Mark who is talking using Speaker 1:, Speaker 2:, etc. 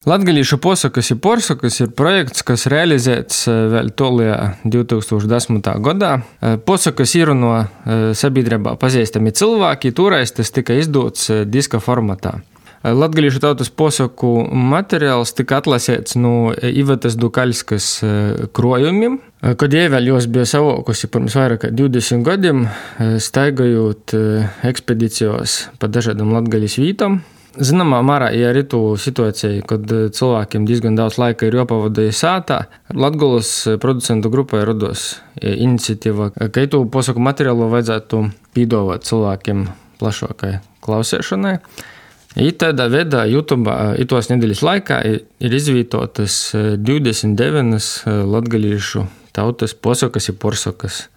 Speaker 1: Latgalīšu posakas I porsakas ir projekts, kas realizēts vēl tolajā 2010. gadā. Posakas īruno sabiedrībā pazīstami cilvēki, toreiz tas tika izdots diska formatā. Latgalīšu tautas posaku materiāls tika atlasēts no Ivetas Dukaļskas krojumiem, kad jai vēl jos bija savākusi pirms vairāk kā 20 gadiem, staigājot ekspedicijos pa dažādām Latgaļas vītām. Zināmā mērā, ja arī tu situācija, kad cilvēkiem diezgan daudz laika ir jāpavada sātā, Latgolas producentu grupai rados iniciatīva, ka tu posaku materiālu vajadzētu pīdovāt cilvēkiem plašākai klausēšanai. I tādā veidā YouTube itos nedēļas laikā ir izvītotas 29 latgalīšu tautas posakas I porsakas.